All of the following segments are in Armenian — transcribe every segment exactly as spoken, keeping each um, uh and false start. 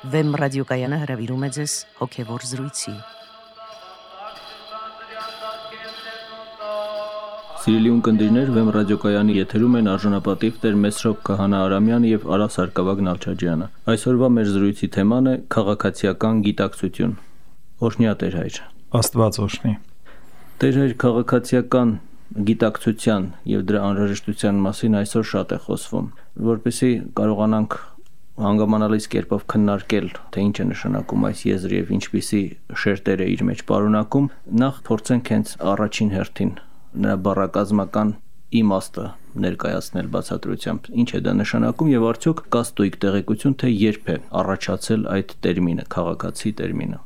Վեմ ռադիոկայանը հրավիրում է ձեզ հոգևոր զրույցի։ Սիրելի ունկնդիրներ, Վեմ ռադիոկայանի եթերում են արժանապատիվ Տեր Մեսրոպ Քահանա Արամյանը եւ Արա Սարգսակյան Նալչաջյանը։ Այսօրվա մեր զրույցի թեման է քաղաքացիական գիտակցություն։ Օրհնյա Տեր հայր։ Աստված օրհնի։ Տեր հայր, քաղաքացիական գիտակցության եւ դրա անհրաժեշտության մասին այսօր շատ է խոսվում, որպեսզի կարողանանք հանգամանալից կերպով քննարկել, թե ինչ է նշանակում այս եզրը եւ ինչպիսի շերտեր է իր մեջ պարունակում, նախ փորձենք հենց առաջին հերթին նրա բառակազմական իմաստը ներկայացնել բացատրությամբ, ինչ է դա նշանակում եւ արդյոք կա ստույգ տեղեկություն, թե երբ է առաջացել այդ տերմինը, քաղաքացի տերմինը։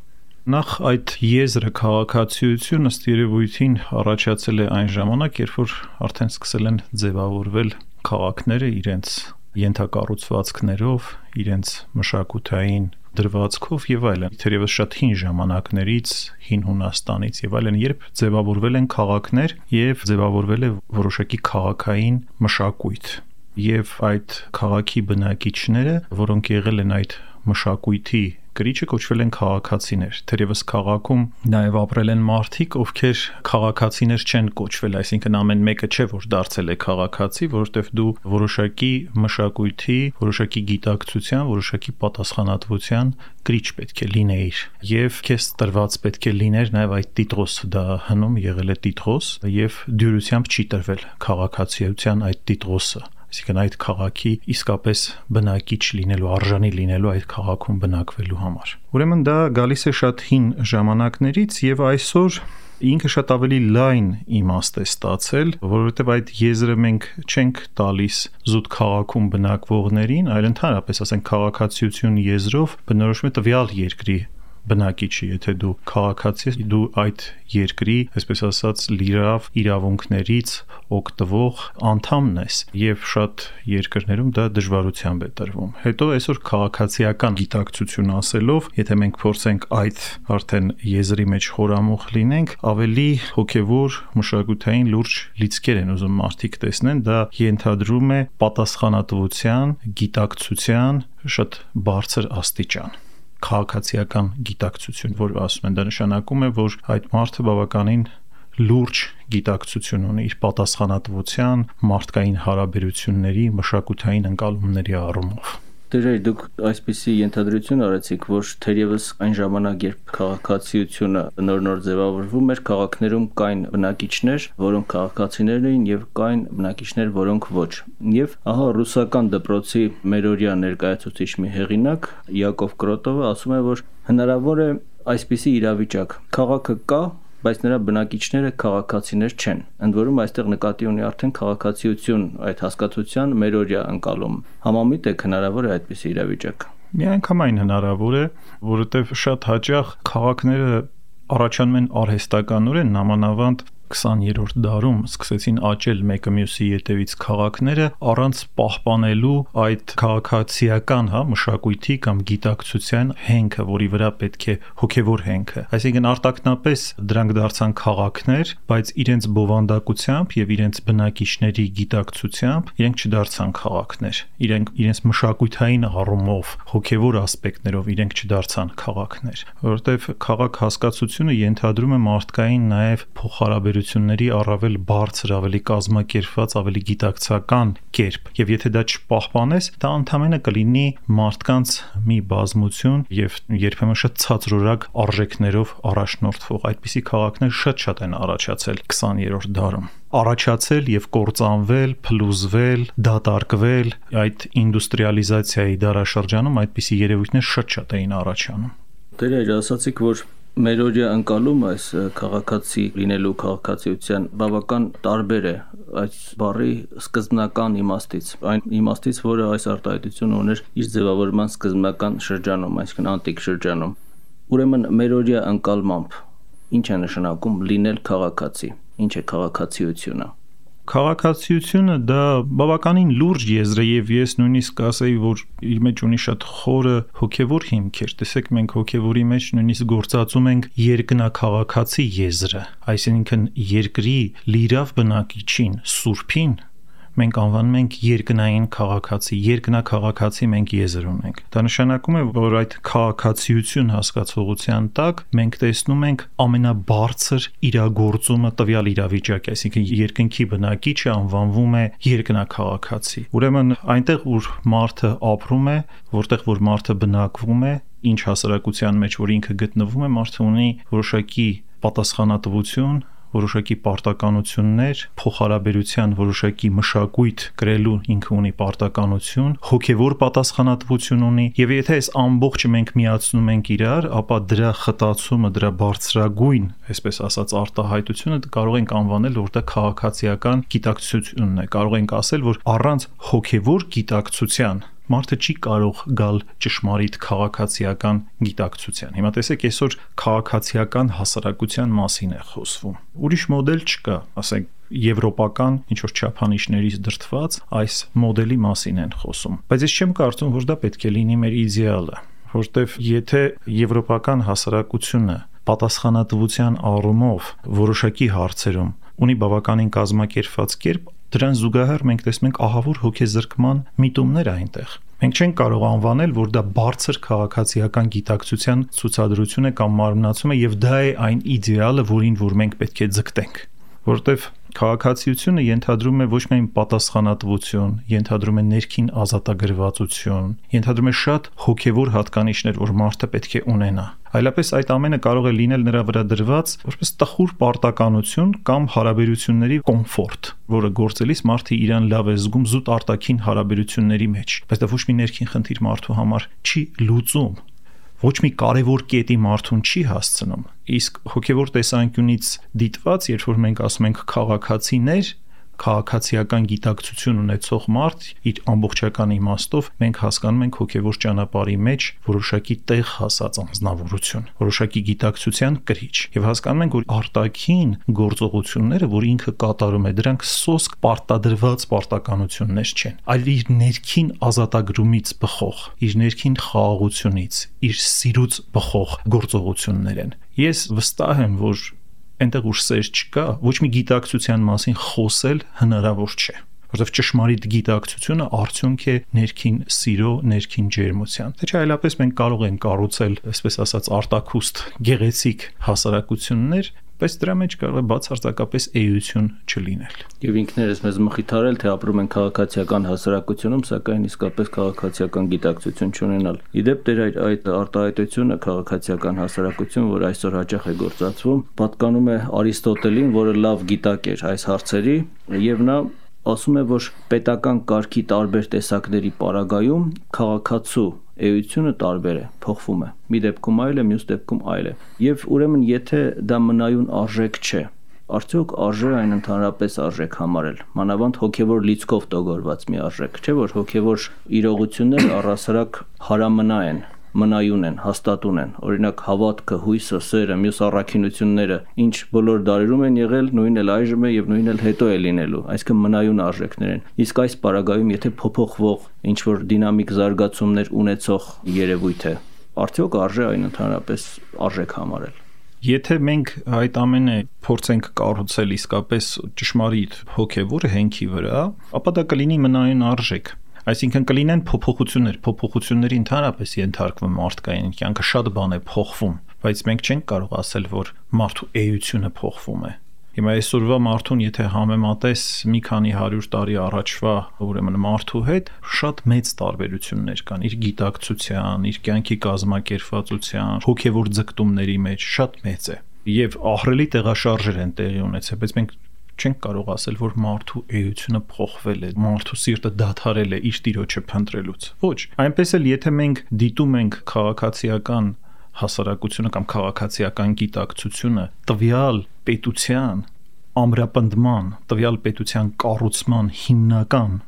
Նախ այդ եզրը քաղաքացիություն ըստ երևույթին առաջացել է այն ժամանակ, երբ որ արդեն սկսել են ձևավորվել քաղաքները իրենց ենթակառուցվածքներով, իրենց մշակութային դրվածքով եւ այլն, թերևս շատ հին ժամանակներից, հին Հունաստանից եւ այլն, երբ ձևավորվել են քաղաքներ եւ ձևավորվել է որոշակի քաղաքային մշակույթ եւ այդ քաղաքի բնակիչները, որոնք եղել են այդ մշակույթի կրիչը, կոչվել են քաղաքացիներ։ Թերևս քաղաքում նաև ապրել են մարդիկ, ովքեր քաղաքացիներ չեն կոչվել, այսինքն ամեն մեկը չէ, որ դարձել է քաղաքացի, որովհետև դու որոշակի մշակույթի, որոշակի գիտակցության, որոշակի պատասխանատվության կրիչ պետք է լինեիր։ Եվ քեզ տրված պետք է լիներ նաև այդ տիտղոս, դա հնում եղել է տիտղոս, եւ դյուրությամբ չի տրվել քաղաքացիության այդ տիտղոսը։ Այսինքն այդ քաղաքի իսկապես բնակիչ լինելու, արժանի լինելու այդ քաղաքում բնակվելու համար։ Ուրեմն դա գալիս է շատ հին ժամանակներից եւ այսօր ինքը շատ ավելի լայն իմաստ է ստացել, որովհետեւ այդ եզրը մենք չենք տալիս զուտ քաղաքում բնակվողներին, այլ ընդհանրապես ասենք քաղաքացիություն եզրով բնորոշում է տվյալ երկրի բնակիչի, եթե դու քաղաքացի ես, դու այդ երկրի, այսպես ասած, լիիրավ իրավունքներից օգտվող անդամն ես, եւ շատ երկրներում դա դժվարությամբ է տրվում։ Հետո այսօր քաղաքացիական գիտակցություն ասելով, եթե մենք փորձենք այդ արդեն եզրի մեջ խորամուխ լինենք, ավելի հոգեվոր մշակութային լուրջ լիցքեր են ուզում մարդիկ տեսնեն, դա ենթադրում է պատասխանատվության, գիտակցության շատ բարձր աստիճան։ Քաղաքացիական գիտակցություն, որ ասում են, դա նշանակում է, որ այդ մարդը բավականին լուրջ գիտակցություն ունի իր պատասխանատվության, մարդկային հարաբերությունների, մշակութային ընկալումների առումով։ Դերեր դուք այսպիսի ենթադրություն արեցիք, որ թերևս այն ժամանակ, երբ քաղաքացիությունը նոր-նոր ձևավորվում էր, քաղաքներում կային բնակիչներ, որոնք քաղաքացիներ էին, եւ կային բնակիչներ, որոնք ոչ։ Եվ ահա ռուսական դպրոցի մերօրյա ներկայացուցիչ մի հեղինակ Յակով Կրոտովը ասում է, որ հնարավոր է այսպիսի իրավիճակ. քաղաքը կա, բայց նրա բնակիչները քաղաքացիներ չեն։ Ընդ որում այստեղ նկատի ունի արդեն քաղաքացիություն այդ հասկացության մերօրյա ընկալում։ Համամիտ է հնարավոր է այդպիսի իրավիճակ։ Միանգամայն հնարավոր է, որովհետև շատ հաճախ քաղաքները առաջանում են արհեստականորեն, նամանավանդ քսաներորդ դարում սկսեցին աճել մեկը մյուսի ետևից քաղաքները առանց պահպանելու այդ քաղաքացիական, հա, մշակույթի կամ գիտակցության հենքը, որի վրա պետք է հոգևոր հենքը։ Այսինքն արտակնապես դրանք դարձան քաղաքներ, բայց իրենց բովանդակությամբ եւ իրենց բնակիչների գիտակցությամբ իրենք չդարձան քաղաքներ։ Իրենք իրենց մշակութային առումով, հոգևոր ասպեկտներով իրենք չդարձան քաղաքներ, որովհետեւ քաղաք հասկացությունը ենթադրում է մարդկային նաեւ փոխհարաբերություն ների առավել բարձր, ավելի կազմակերպված, ավելի գիտակցական կերպ, եւ եթե դա չպահպանես, դա ընդհանրապես կլինի մարդկանց մի բազմություն եւ երբեմն շատ ցածրորակ արժեքներով առաջնորդվող։ Այդպիսի քաղաքներ շատ-շատ են առաջացել քսաներորդ դարում։ Առաջացել եւ կործանվել, փլուզվել, դատարկվել, այդ ինդուստրիալիզացիայի դարաշրջանում այդպիսի երևույթներ շատ-շատ էին առաջանում։ Դերեր ասացիք, որ մերօրյա ընկալում այս քաղաքացի լինելու քաղաքացիության բավական տարբեր է այս բառի սկզբնական իմաստից, այն իմաստից, որը այս արտահայտությունը ուներ իր ձևավորման սկզբնական շրջանում, այսինքն անտիկ շրջանում։ Ուրեմն մերօրյա ընկալմամբ ինչ է նշանակում լինել քաղաքացի, ինչ է քաղաքացիությունը։ Քաղաքացիությունը դա բավականին լուրջ եզր է եւ ես նույնիսկ կասեի, որ իր մեջ ունի շատ խորը հոգեվոր հիմքեր։ Տեսեք, մենք հոգեվորի մեջ նույնիսկ գործածում ենք երկնաքաղաքացի եզրը, այսինքն երկրի լիիրավ բնակիչին, սուրբին մենք անվանում ենք երկնային քաղաքացի, երկնակաղաքացի մենք եզր ունենք։ Դա նշանակում է, որ այդ քաղաքացիություն հասկացողության տակ մենք տեսնում ենք ամենաբարձր իրագործումը տվյալ իրավիճակի, այսինքն երկնքի բնակիչը անվանվում է երկնակաղաքացի։ Ուրեմն այնտեղ, որ մարդը ապրում է, որտեղ որ մարդը բնակվում է, ինչ հասարակության մեջ որ ինքը գտնվում է, մարդը ունի որոշակի պատասխանատվություն, որոշակի պարտականություններ, փոխհարաբերության որոշակի մշակույթ կրելու ինքը ունի պարտականություն, հոգևոր պատասխանատվություն ունի, եւ եթե այս ամբողջը մենք միացնում ենք իրար, ապա դրա խտացումը, դրա բարձրագույն, այսպես ասած, արտահայտությունը կարող ենք անվանել, որտեղ քաղաքացիական գիտակցությունն է, կարող ենք ասել, որ առանց հոգևոր գիտակցության մարդը չի կարող գալ ճշմարիտ քաղաքացիական գիտակցության։ Հիմա տեսեք, այսօր քաղաքացիական հասարակության մասին է խոսվում։ Ուրիշ մոդել չկա, ասենք եվրոպական ինչ որ չափանիշներից դրդված այս մոդելի մասին են խոսում։ Բայց ես չեմ կարծում, որ դա պետք է լինի մեր իդեալը, որտեվ եթե եվրոպական հասարակությունը պատասխանատվության առումով որոշակի հարցերում ունի բավականին կազմակերպված կերպ, դրան զուգահեռ մենք տեսնում ենք ահավոր հոգեզրկման միտումներ այնտեղ։ Մենք չենք կարող անվանել, որ դա բարձր քաղաքացիական գիտակցության ցուցադրություն է կամ մարմնացում է, եւ դա է այն իդեալը, որին որ մենք պետք է ձգտենք, որովհետեւ քաղաքացիությունը ենթադրում է ոչ միայն պատասխանատվություն, ենթադրում է ներքին ազատագրվածություն, ենթադրում է շատ հոգևոր հատկանիշներ, որ մարդը պետք է ունենա։ Այլապես այդ ամենը կարող է լինել նրա վրա դրված որպես տխուր պարտականություն կամ հարաբերությունների կոմֆորտ, որը գործելիս մարդը իրան լավ է զգում զուտ արտաքին հարաբերությունների մեջ, բայց դա ոչ մի ներքին խնդիր մարդու համար չի լուծում, ոչ մի կարևոր կետի մարդուն չի հասցնում։ Իսկ հոգևոր տեսանկյունից դիտված, երբ որ մենք ասում ենք քաղաքացիներ, քաղաքացիական գիտակցություն ունեցող մարդ, իր ամբողջական իմաստով մենք հասկանում ենք հոգևոր ճանապարհի մեջ որոշակի տեղ հասած անձնավորություն, որոշակի գիտակցության կրիչ, եւ հասկանում ենք, որ արտաքին գործողությունները, որ ինքը կատարում է, դրանք սոսկ պարտադրված պարտականություններ չեն, այլ իր ներքին ազատագրումից բխող, իր ներքին խաղաղությունից, իր սիրուց բխող գործողություններ են։ Ես վստահ եմ, որ այնտեղ ուր սեր չկա, ոչ մի գիտակցության մասին խոսել հնարավոր չէ, որովհետև ճշմարիտ գիտակցությունը արդյունք է ներքին սիրո, ներքին ջերմության։ Թե չէ այլապես մենք կարող ենք կառուցել, այսպես ասած, արտաքուստ գեղեցիկ հասարակություններ, բայց դրա մեջ կարող է բացարձակապես էություն չլինել։ Եվ ինքներս մեզ մխիթարել, թե ապրում են քաղաքացիական հասարակությունում, սակայն իսկապես քաղաքացիական գիտակցություն չունենալ։ Իդեպ դեր այդ արտահայտությունը քաղաքացիական հասարակություն, որ այսօր հաճախ է գործածվում, պատկանում է Արիստոտելին, որը լավ գիտակ էր այս հարցերի, եւ նա ասում է, որ պետական կարգի տարբեր տեսակների պարագայում քաղաքացու էությունը տարբեր է, փոխվում է։ Մի դեպքում այլ է, մյուս դեպքում այլ է։ Եվ ուրեմն եթե դա մնայուն արժեք չէ, արդյոք արժե այն ընդհանրապես արժեք համարել, մանավանդ հոգևոր լիցքով տոգորված մի արժեք, չէ՞ որ հոգևոր իրողությունները առհասարակ հարամնա են, մնայուն են, հաստատուն են, օրինակ հավատքը, հույսը, սերը, մյուս առաքինությունները, ինչ բոլոր դարերում են եղել, նույնն էլ այժմ է եւ նույնն էլ հետո է լինելու, այսինքն մնայուն արժեքներ են։ Իսկ այս պարագայում եթե փոփոխվող ինչ որ դինամիկ զարգացումներ ունեցող երևույթ է, արդյոք արժե այն ընդհանրապես արժեք համարել։ Եթե մենք այդ ամենը փորձենք կառուցել իսկապես ճշմարիտ հոգևոր հենքի վրա, ապա դա կլինի մնայուն արժեք։ Այսինքն կլինեն փոփոխություններ, փոփոխությունների ընդհանրապես ենթարկվում մարդկային կյանքը շատ բան է փոխվում, բայց մենք չենք կարող ասել, որ մարդու էությունը փոխվում է։ Հիմա այսօրվա մարդուն եթե համեմատես մի քանի հարյուր տարի առաջվա ուրեմն մարդու հետ, շատ մեծ տարբերություններ կան իր գիտակցության, իր կյանքի կազմակերպվածության, հոգևոր ձգտումների մեջ շատ մեծ է։ Եվ ահռելի տեղաշարժեր են տեղի ունեցել, բայց մենք չենք կարող ասել, որ մարդու էությունը փոխվել է, մարդու սիրտը դադարել է իր Տիրոջը փնտրելուց։ Ոչ, այնպես էլ եթե մենք դիտում ենք քաղաքացիական հասարակությունը կամ քաղաքացիական գիտակցությունը տվյալ պետության ամրապնդման, տվյալ պետության կառուցման հիմնական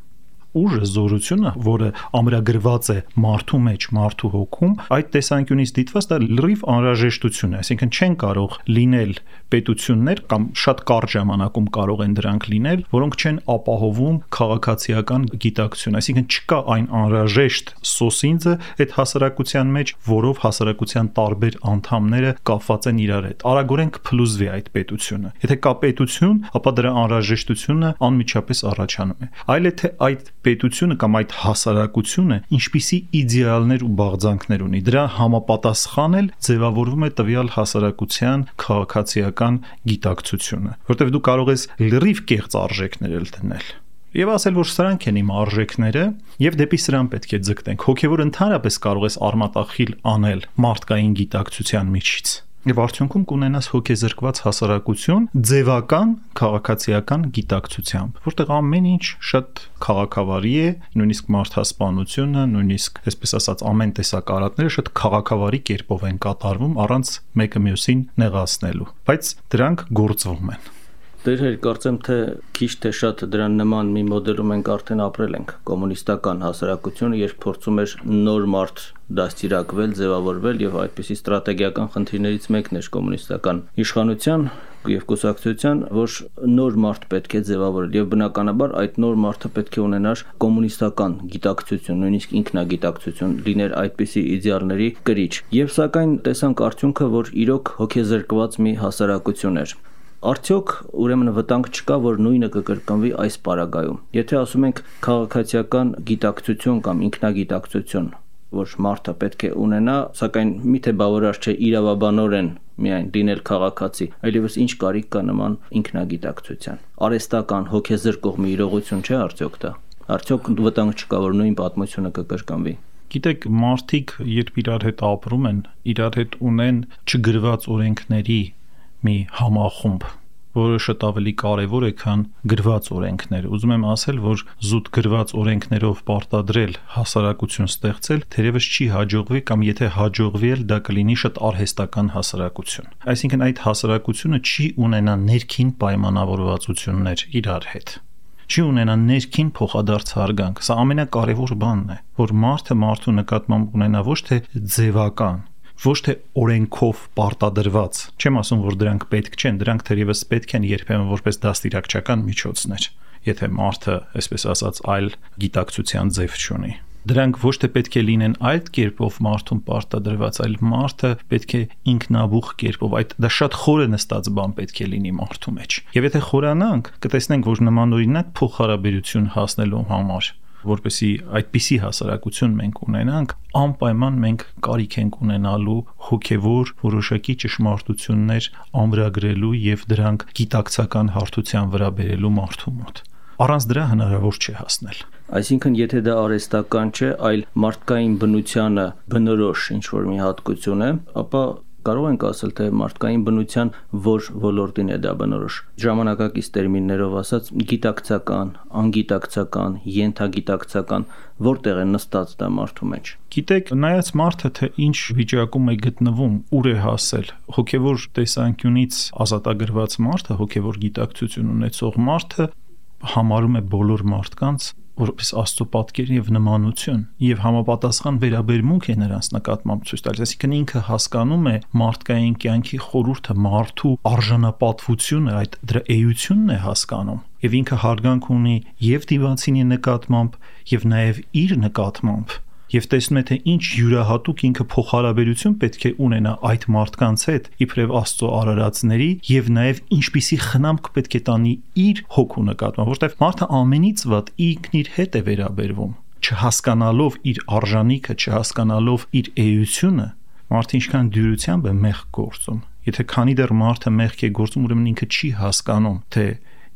ուժը, զորությունը, որը ամրագրված է մարդու մեջ, մարդու հոգում, այդ տեսանկյունից դիտված դա լրիվ անհրաժեշտություն է, այսինքն չեն կարող լինել պետություններ կամ շատ կարճ ժամանակում կարող են դրանք լինել, որոնք չեն ապահովում քաղաքացիական գիտակցություն, այսինքն չկա այն անհրաժեշտ սոսինձը այդ հասարակության մեջ, որով հասարակության տարբեր անդամները կապված են իրար հետ։ Արագորեն կփլուզվի այդ պետությունը։ Եթե կա պետություն, ապա դրա անհրաժեշտությունը անմիջապես առաջանում է։ Այլ է թե այդ պետությունը կամ այդ հասարակությունը ինչպիսի իդեալներ ու բաղձանքներ ունի, դրա համապատասխան էլ ձևավորվում է տվյալ հասարակության քաղաքացիական գիտակցությունը, որտեղ դու կարող ես լրիվ կեղծ արժեքներ էլ դնել եւ ասել, որ սրանք են իմ արժեքները եւ դեպի սրան պետք է ձգտենք։ Հոգեվոր ընդհանրապես կարող ես արմատախիլ անել մարդկային գիտակցության միջից եւ արդյունքում կունենաս հոգեզրկված հասարակություն ձևական քաղաքացիական գիտակցությամբ, որտեղ ամեն ինչ շատ քաղաքավարի է, նույնիսկ մարդասպանությունը, նույնիսկ այսպես ասած ամեն տեսակ արատները շատ քաղաքավարի կերպով են կատարվում առանց մեկը մյուսին նեղացնելու, բայց դրանք գործվում են։ Դեր կարծեմ թե քիչ թե շատ դրան նման մի մոդելում մենք արդեն ապրել ենք կոմունիստական հասարակությունը, երբ փորձում էր նոր մարդ դաստիարակվել, ձևավորվել եւ այդպիսի ստրատեգիական խնդիրներից մեկն էր կոմունիստական իշխանության եւ կուսակցության, որ նոր մարդ պետք է ձևավորել եւ բնականաբար այդ նոր մարդը պետք է ունենար կոմունիստական գիտակցություն, նույնիսկ ինքնագիտակցություն, լիներ այդպիսի իդեալների կրիչ։ Եվ սակայն տեսանք արդյունքը, որ իրոք հոգեզրկված մի հասարակություն էր։ Արդյոք ուրեմն վտանգ չկա, որ նույնը կկրկնվի այս պարագայում։ Եթե ասում ենք քաղաքացիական գիտակցություն կամ ինքնագիտակցություն, որ մարդը պետք է ունենա, սակայն միթե բավարար չէ իրավաբանորեն միայն լինել քաղաքացի, այլևս ինչ կարիք կա նման ինքնագիտակցության։ Արհեստական հոգեզրկող մի իրողություն չէ արդյոք դա։ Արդյոք վտանգ չկա, որ նույն պատմությունը կկրկնվի։ Գիտեք, մարդիկ երբ իրար հետ ապրում են, իրար հետ ունեն չգրված օրենքների մի համախումբ, որը շատ ավելի կարևոր է, քան գրված օրենքները։ Ուզում եմ ասել, որ զուտ գրված օրենքներով պարտադրել հասարակություն ստեղծել թերևս չի հաջողվի կամ եթե հաջողվի էլ դա կլինի շատ արհեստական հասարակություն։ Այսինքն այդ հասարակությունը չի ունենա ներքին պայմանավորվածություններ իրար հետ։ Չի ունենա ներքին փոխադարձ հարգանք։ Սա ամենակարևոր բանն է, որ մարդը մարդու նկատմամբ ունենա ոչ թե ձևական, ոչ թե օրենքով պարտադրված, չեմ ասում, որ դրանք պետք չեն, դրանք թերևս պետք են երբեմն որպես դաստիարակչական միջոցներ, եթե մարդը, այսպես ասած, այլ գիտակցության ձև չունի։ Դրանք ոչ թե պետք է լինեն այլ կերպով մարդուն պարտադրված, այլ մարդը պետք է ինքնաբուխ կերպով, այդ դա շատ խորը նստած բան պետք է լինի մարդու մեջ։ Եվ եթե խորանանք, կտեսնենք, որ նմանօրինակ փոխհարաբերություն հասնելու համար, որպեսի այդպիսի հասարակություն մենք ունենանք, անպայման մենք կարիք ենք ունենալու հոգևոր որոշակի ճշմարտություններ ամրագրելու եւ դրանք գիտակցական հարթության վրա բերելու մարդու մոտ։ Առանց դրա հնարավոր չէ հասնել։ Այսինքն, եթե դա արհեստական չէ, այլ մարդկային բնությանը բնորոշ ինչ-որ մի հատկություն է, ապա կարող ենք ասել, թե մարդկային բնության որ ոլորտին է դա բնորոշ։ Ժամանակակից տերմիններով ասած, գիտակցական, անգիտակցական, ենթագիտակցական, որտեղ է նստած դա մարդու մեջ։ Գիտեք, նայած մարդը թե ինչ վիճակում է գտնվում, ուր է հասել, հոգևոր տեսանկյունից ազատագրված մարդը, հոգևոր գիտակցություն ունեցող մարդը համարում է բոլոր մարդկանց որպես Աստծո պատկեր եւ նմանություն եւ համապատասխան վերաբերմունք է նրանց նկատմամբ ցույց տալիս, այսինքն ինքը հասկանում է մարդկային կյանքի խորհուրդը, մարդու արժանապատվությունը, այդ դրա էությունն է հասկանում եւ ինքը հարգանք ունի եւ դիվանցինի նկատմամբ եւ նաեւ իր նկատմամբ եւ տեսնում է, թե ինչ յուրահատուկ ինքը փոխհարաբերություն պետք է ունենա այդ մարդկանց հետ իբրև Աստծո արարածների եւ նաեւ ինչպիսի խնամք պետք է տանի իր հոգու նկատմամբ, որտեղ մարդը ամենից վատ ինքն իր հետ է վերաբերվում, չհասկանալով իր արժանիքը, չհասկանալով իր էությունը, մարդը ինչքան դյուրությամբ է մեղք գործում։ Եթե քանի դեռ մարդը մեղք է գործում, ուրեմն ինքը չի հասկանում, թե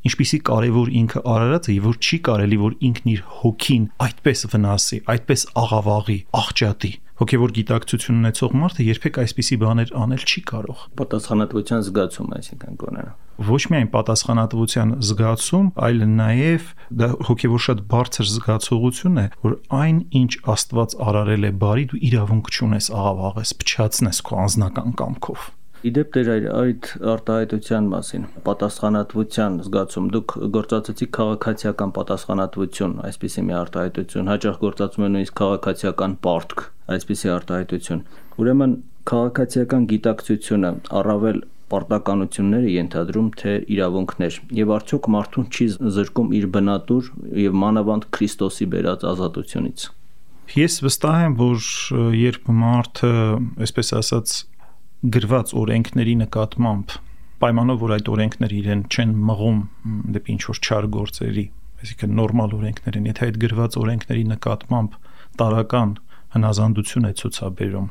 ինչպիսի կարևոր ինքը արարած է եւ որ չի կարելի որ ինքն իր հոգին այդպես վնասի, այդպես աղավաղի, աղճատի։ Հոգևոր գիտակցություն ունեցող մարդը երբեք այսպիսի բաներ անել չի կարող։ Պատասխանատվության զգացում, այսինքն կոնենա։ Ոչ միայն պատասխանատվության զգացում, այլ նաեւ դա հոգևոր շատ բարձր զգացողություն է, որ այն ինչ Աստված արարել է բարի, դու իրավունք չունես աղավաղես, փչացնես քո անձնական կամքով։ Իդեպ դեր այդ արտահայտության մասին, պատասխանատվության զգացում, դուք գործածեցիք քաղաքացիական պատասխանատվություն, այսպիսի մի արտահայտություն, հաճախ գործածում են նույնիսկ քաղաքացիական պարտք, այսպիսի արտահայտություն։ Ուրեմն քաղաքացիական գիտակցությունը առավել պարտականություններ է ենթադրում, թե իրավունքներ, եւ արդյոք մարդուն չի զրկում իր բնատուր եւ մանավանդ Քրիստոսի բերած ազատությունից։ Ես վստահ եմ, որ երբ մարդը, այսպես ասած, գրված օրենքների նկատմամբ պայմանով, որ այդ օրենքները իրեն չեն մղում դեպի ինչ-որ չար գործերի, այսինքն նորմալ օրենքներ են, եթե այդ գրված օրենքների նկատմամբ տարական հնազանդություն է ցուցաբերում,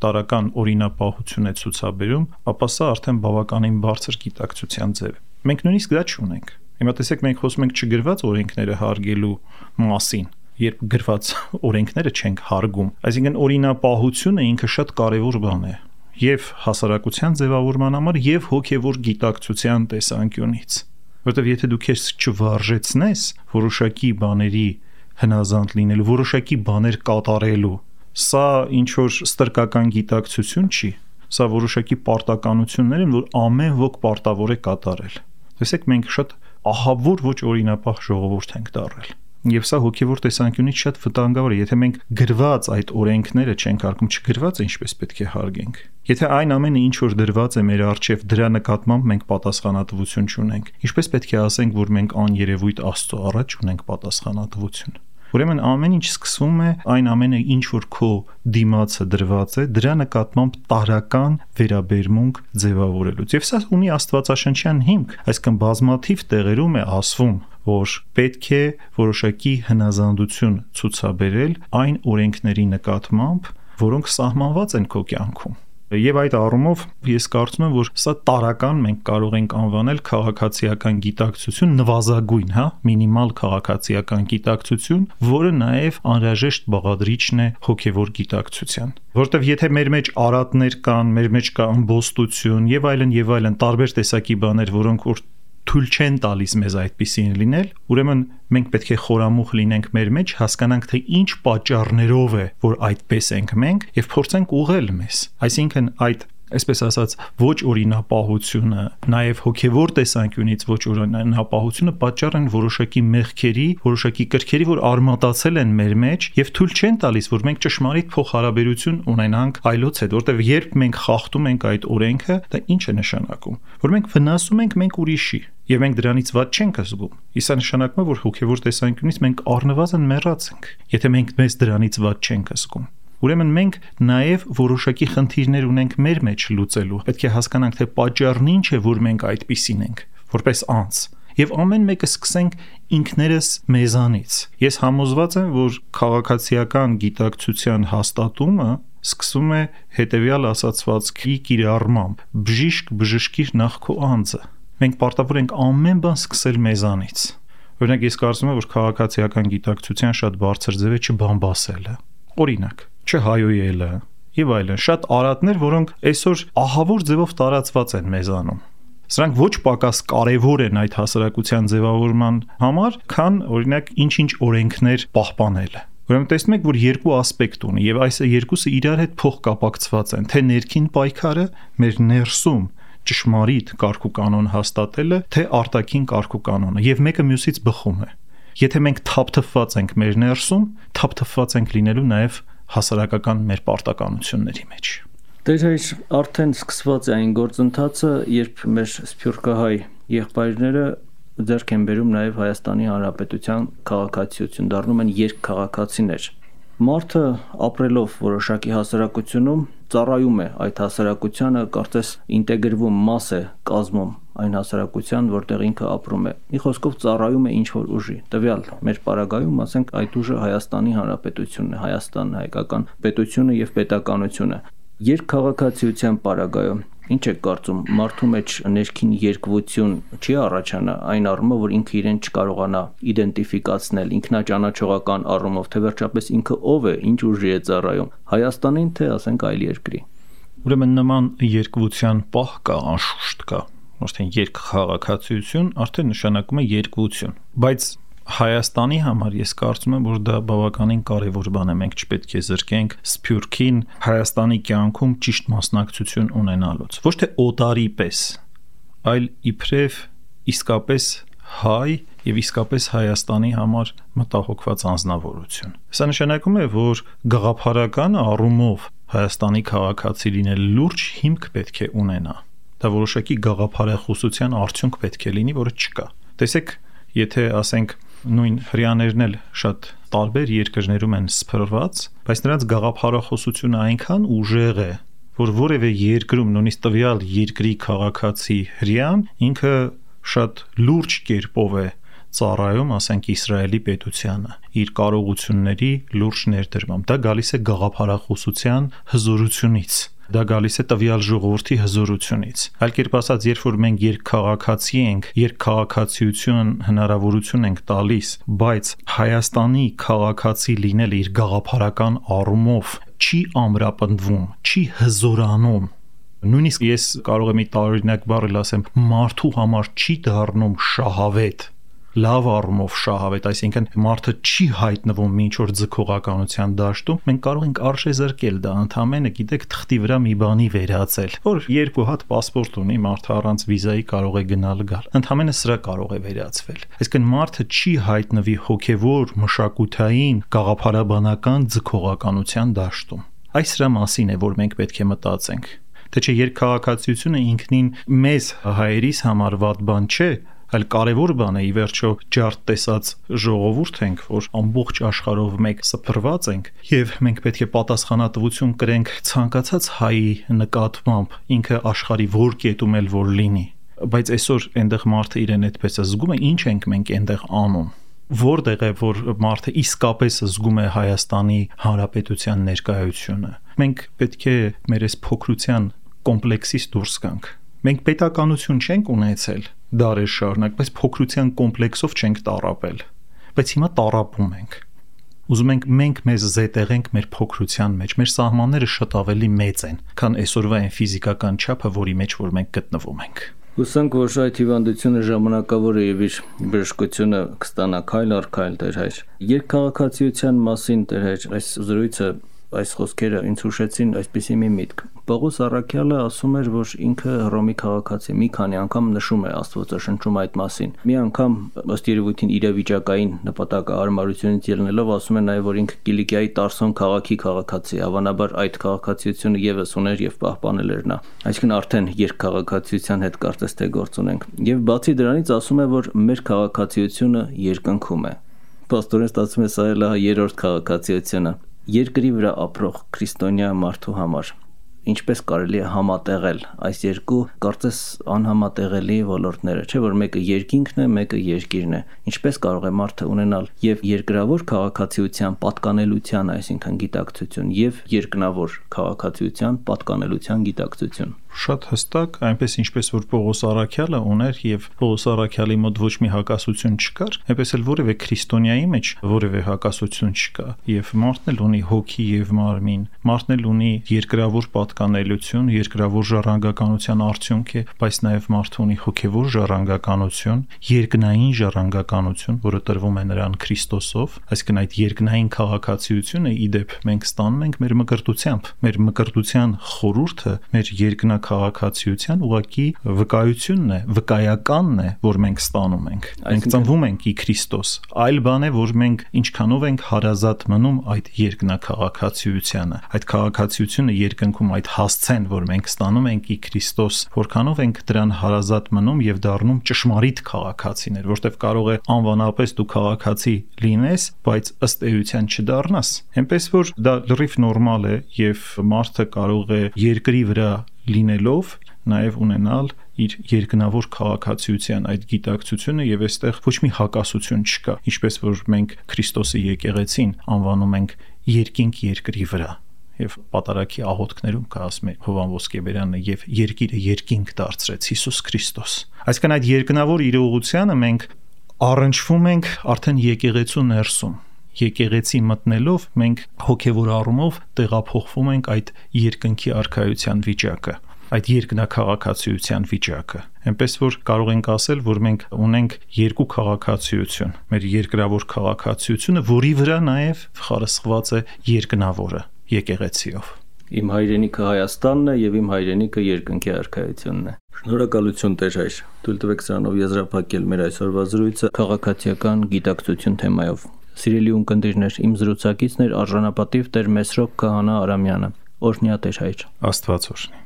տարական օրինապահություն է ցուցաբերում, ապա սա արդեն բավականին բարձր գիտակցության ձև է։ Մենք նույնիսկ դա չունենք։ Հիմա տեսեք, մենք խոսում ենք չգրված օրենքները հարգելու մասին, երբ գրված օրենքները չենք հարգում։ Այսինքն օրինապահությունը ինքը շատ կարևոր բան է եւ հասարակության ձևավորման համար եւ հոգեվոր գիտակցության տեսանկյունից, որովհետեւ եթե դու քեզ չվարժեցնես որոշակի բաների հնազանդ լինելու, որոշակի բաներ կատարելու, սա ինչ որ ստրկական գիտակցություն չի, սա որոշակի պարտականություններ են, որ ամեն ոք պարտավոր է կատարել։ Տեսեք, մենք շատ ահավոր ոչ օրինապահ ժողովուրդ ենք դառել։ Եվ սա հոգևոր տեսանկյունից շատ վտանգավոր է, եթե մենք գրված այդ օրենքները չենք հարգում, չգրված է ինչպես պետք է հարգենք։ Եթե այն ամենը ինչ որ դրված է մեր առջև, դրա նկատմամբ մենք պատասխանատվություն չունենք, ինչպես պետք է ասենք, որ մենք աներևույթ Աստծո առաջ ունենք պատասխանատվություն։ Ուրեմն ամեն ինչ սկսվում է այն ամենը, ինչ որ քո դիմացը դրված է, դրա նկատմամբ տարական վերաբերմունք ձևավորելուց։ Եվ սա ունի աստվածաշնչյան հիմք, այսինքն բազմաթիվ տեղերում է ասվում, որ պետք է որոշակի հնազանդություն ցուցաբերել այն օրենքների նկատմամբ, որոնք սահմանված են քո կյանքում։ Եվ այդ առումով ես կարծում եմ, որ սա տարական մենք կարող ենք անվանել քաղաքացիական գիտակցություն, նվազագույն, հա, մինիմալ քաղաքացիական գիտակցություն, որը նաև անհրաժեշտ բաղադրիչն է հոգևոր գիտակցության։ Որտեվ եթե մեր մեջ արատներ կան, մեր մեջ կա ըմբոստություն եւ այլն եւ այլն տարբեր տեսակի բաներ, որոնք որ թույլ չեն տալիս մեզ այդպիսին լինել, ուրեմն մենք պետք է խորամուխ լինենք մեր մեջ, հասկանանք, թե ինչ պատճառներով է, որ այդպես ենք մենք, եւ փորձենք ուղղել մեզ։ Այսինքն այդ, այսպես ասած, ոչ օրինապահությունը, նաև հոգևոր տեսանկյունից ոչ օրինապահությունը պատճառ են որոշակի մեղքերի, որոշակի կրքերի, որ արմատացել են մեր մեջ եւ թույլ չեն տալիս, որ մենք ճշմարիտ փոխհարաբերություն ունենանք այլոց հետ, որտեղ երբ մենք խախտում ենք այդ օրենքը, դա ինչ է նշանակում, որ մենք վնասում ենք մենք ուրիշի եւ մենք դրանից ված չենք զգում։ Իսկ սա նշանակում է, որ հոգևոր տեսանկյունից մենք առնվազն մեռած ենք, եթե մենք մեզ դրանից ված չենք զգում։ Ուրեմն մենք նաև որոշակի խնդիրներ ունենք մեր մեջ լուծելու։ Պետք է հասկանանք, թե պատճառն ինչ է, որ մենք այդպիսին ենք, որպես անձ։ Եվ ամեն մեկը սկսենք ինքներս մեզանից։ Ես համոզված եմ, որ քաղաքացիական գիտակցության հաստատումը սկսում է հետևյալ ասացվածքի կիրառմամբ. բժիշկ բժշկիր նախ քո անձը։ Մենք պարտավոր ենք ամեն բան սկսել մեզանից։ Օրինակ, ես կարծում եմ, որ քաղաքացիական գիտակցության շատ բարձր ձև է չբամբասելը։ Օրինակ, չհայոյելը եւ այլն, շատ արատներ, որոնք այսօր ահավոր ձևով տարածված են մեզանում։ Սրանք ոչ պակաս կարևոր են այդ հասարակության ձևավորման համար, քան օրինակ ինչ-ինչ օրենքներ պահպանելը։ Ուրեմն տեսնում եք, որ երկու ասպեկտ ունի եւ այս երկուսը իրար հետ փոխկապակցված են, թե ներքին պայքարը մեր ներսում ճշմարիտ կարգուկանոն հաստատելը, թե արտաքին կարգուկանոնը, եւ մեկը մյուսից բխում է։ Եթե մենք թափթփված ենք մեր ներսում, թափթփված ենք լինելու նաև հասարակական մեր պարտականությունների մեջ։ Դեր հայր արդեն սկսված է այն գործընթացը, երբ մեր սփյուռքահայ եղբայրները ձեռք են բերում նաև Հայաստանի Հանրապետության քաղաքացիություն, դառնում են երկքաղաքացիներ։ Մարդը ապրելով որոշակի հասարակությունում ծառայում է այդ հասարակությանը, կարծես ինտեգրվում մաս է կազմում այն հասարակության, որտեղ ինքը ապրում է։ Մի խոսքով ծառայում է ինչ-որ ուժի։ Տվյալ մեր պարագայում, ասենք, այդ ուժը Հայաստանի Հանրապետությունն է, Հայաստանն, հայկական պետությունը եւ պետականությունը։ Երկքաղաքացիության պարագայում ինչ եք կարծում, մարդու մեջ ներքին երկվություն չի առաջանա այն առումով, որ ինքը իրեն չկարողանա իդենտիֆիկացնել ինքնաճանաչողական առումով, թե վերջապես ինքը ով է, ինչ ուժի է ծառայում, Հայաստանին, թե ասենք այլ երկրի։ Ուրեմն նման երկվության պահ կա, անշուշտ կա, ոչ թե երկքաղաքացիություն, արդեն նշանակում է երկվություն, բայց Հայաստանի համար ես կարծում եմ, որ դա բավականին կարևոր բան է, մենք չպետք է զրկենք Սփյուռքին Հայաստանի կյանքում ճիշտ մասնակցություն ունենալուց, ոչ թե օտարի պես, այլ իբրև իսկապես հայ եւ իսկապես Հայաստանի համար մտահոգված անձնավորություն։ Սա նշանակում է, որ գաղափարական առումով Հայաստանի քաղաքացի լինել լուրջ հիմք պետք է ունենա։ Դա որոշակի գաղափարախոսության արդյունք պետք է լինի, որը չկա։ Տեսեք, եթե ասենք նույն հрьяաներն էլ շատ տարբեր երկրներում են սփռված, բայց նրանց գաղափարախոսությունը այնքան ուժեղ է, որ որևէ երկրում նույնիսկ տվյալ երկրի քաղաքացի հрьяան ինքը շատ լուրջ կերպով է ծառայում, ասենք Իսրայելի պետությանը, իր կարողությունների լուրջ ներդրմամբ։ Դա գալիս է գաղափարախոսության հզորությունից։ Դա գալիս է տվյալ ժողովրդի հզորությունից։ Այլ կերպ ասած, երբ որ մենք երկքաղաքացի ենք, երկքաղաքացիություն հնարավորություն ենք տալիս, բայց Հայաստանի քաղաքացի լինելը իր գաղափարական առումով չի ամրապնդվում, չի հզորանում։ Նույնիսկ ես կարող եմ մի տարօրինակ բառ ասեմ, մարդու համար չի դառնում շահավետ, լավ առումով շահավետ, այսինքն մարդը չի հայտնվում ինչ որ ձգողականության դաշտում, մենք կարող ենք արժեզրկել դա ընդամենը, գիտեք, թղթի վրա մի բանի վերածել, որ երկու հատ պասպորտ ունի, մարդը առանց վիզայի կարող է գնալ գալ, ընդամենը սրա կարող է վերածվել։ Այսինքն մարդը չի հայտնվի հոգևոր, մշակութային, գաղափարաբանական ձգողականության դաշտում։ Այս սրա մասին է, որ մենք պետք է մտածենք։ Թե չէ երկքաղաքացիությունը ինքնին մեզ հայերիս համար վատ բան չէ, այլ կարևոր բան է, ի վերջո ջարդ տեսած ժողովուրդ ենք, որ ամբողջ աշխարհով մեկ սփռված ենք, եւ մենք պետք է պատասխանատվություն կրենք ցանկացած հայի նկատմամբ, ինքը աշխարհի որ կետում էլ որ լինի։ Բայց այսօր այնտեղ մարդը իրեն այդպես է զգում է, ինչ ենք մենք այնտեղ անում։ Որտեղ է, որ մարդը իսկապես զգում է Հայաստանի Հանրապետության ներկայությունը։ Մենք պետք է մեր այս փոքրության կոմպլեքսից դուրս գանք։ Մենք պետականություն չենք ունեցել դարեր շարունակ, բայց փոքրության կոմպլեքսով չենք տառապել, բայց հիմա տառապում ենք։ Ուզում ենք մենք մեզ զետեղենք մեր փոքրության մեջ, մեր սահմանները շատ ավելի մեծ են, քան այսօրվա այն ֆիզիկական չափը, որի մեջ որ մենք գտնվում ենք։ Հուսանք, որ այդ հիվանդությունը ժամանակավոր է եւ իր բժշկությունը կստանա քայլ առ քայլ, Տեր հայր։ Երկքաղաքացիության մասին, Տեր հայր, այս զրույցը, այս խոսքերը ինձ հուշեցին այսպիսի մի միտք։ Պողոս Առաքյալը ասում էր, որ ինքը Հռոմի քաղաքացի, մի քանի անգամ նշում է Աստվածաշնչում այդ մասին։ Մի անգամ ըստ երևույթին իրավիճակային նպատակահարմարությունից ելնելով ասում է նաև, որ ինքը Կիլիկիայի Տարսոն քաղաքի քաղաքացի, հավանաբար այդ քաղաքացիությունը եւս ուներ եւ պահպանել էր նա։ Այսինքն արդեն երկքաղաքացիության հետ կարծես թե գործ ունենք։ Եվ բացի դրանից ասում է, որ մեր քաղաքացիությունը երկնքում է։ Պաստորեն ստացվում է սա էլ երրորդ քաղաքացիությունը։ Երկրի վրա ապրող քրիստոնյա մարդու համար ինչպես կարելի է համատեղել այս երկու կարծես անհամատեղելի ոլորտները, չէ՞ որ մեկը երկինքն է, մեկը երկիրն է։ Ինչպես կարող է մարդը ունենալ եւ երկրավոր քաղաքացիության պատկանելության, այսինքն գիտակցություն, եւ երկնավոր քաղաքացիության պատկանելության գիտակցություն։ Շատ հստակ, այնպես ինչպես որ Պողոս Առաքյալը ուներ եւ Պողոս Առաքյալի մոտ ոչ մի հակասություն չկար, այնպես էլ որևէ քրիստոնյայի մեջ որևէ հակասություն չկա, եւ մարդն էլ ունի հոգի եւ մարմին, մարդն էլ ունի երկրավոր պատկանելություն, երկրավոր ժառանգականության արդյունք է, բայց նաեւ մարդը ունի հոգեվոր ժառանգականություն, երկնային ժառանգականություն, որը տրվում է նրան Քրիստոսով, այսինքն այդ երկնային քաղաքացիությունը իդեպ մենք ստանում ենք մեր մկրտությամբ, մեր մկրտության խորհուրդը մեր երկնա քաղաքացիության ուղղակի վկայությունն է, վկայականն է, որ մենք ստանում ենք։ Մենք ծնվում ենք ի Քրիստոս։ Այլ բան է, որ մենք ինչքանով ենք հարազատ մնում այդ երկնաքաղաքացիությանը։ Այդ քաղաքացիությունը երկնքում այդ հասցեն, որ մենք ստանում ենք ի Քրիստոս, որքանով ենք դրան հարազատ մնում եւ դառնում ճշմարիտ քաղաքացիներ, որտեղ կարող է անվանապես դու քաղաքացի լինես, բայց ըստ էության չդառնաս։ Այնպես որ դա լրիվ նորմալ է եւ մարդը կարող է երկրի վրա լինելով նաև ունենալ իր երկնավոր քաղաքացիության այդ գիտակցությունը եւ այստեղ ոչ մի հակասություն չկա, ինչպես որ մենք Քրիստոսի եկեղեցին անվանում ենք երկինք երկրի վրա եւ պատարագի աղոթքներում կա ասում է Հովան Ոսկեբերյանը եւ երկիրը երկինք դարձրեց Հիսուս Քրիստոս։ Այսինքն այդ երկնավոր իրողությանը մենք առնչվում ենք արդեն եկեղեցու ներսում։ Եկեղեցի մտնելով մենք հոգևոր առումով տեղափոխվում ենք այդ երկնքի արքայության վիճակը։ այդ երկնաքաղաքացիության վիճակը։ Այնպես որ կարող ենք ասել, որ մենք ունենք երկու քաղաքացիություն։ Մեր երկրավոր քաղաքացիությունը, որի վրա նաև խարսխված է երկնավորը եկեղեցիով։ Իմ հայրենիքը Հայաստանն է եւ իմ հայրենիքը երկնքի արքայությունն է։ Շնորհակալություն Տեր հայր։ Թույլ տվեք սրանով եզրափակել մեր այսօրվա զրույցը քաղաքացիական գիտակցություն թեմայով։ Սիրելի ունկնդիրներ, իմ զրուցակիցն էր արժանապատիվ Տեր Մեսրոպ Քահանա Արամյանը։ Օրհնյա Տեր հայր։ Աստված օրհնի։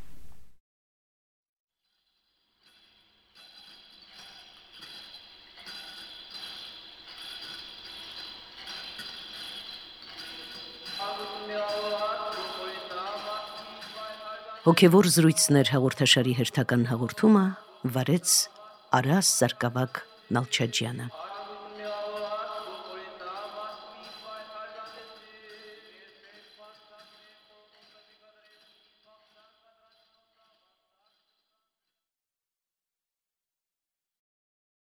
Հոգևոր զրույցներ հաղորդաշարի հերթական հաղորդումը վարեց Արաս Սարգսակ Նալչաջյանը։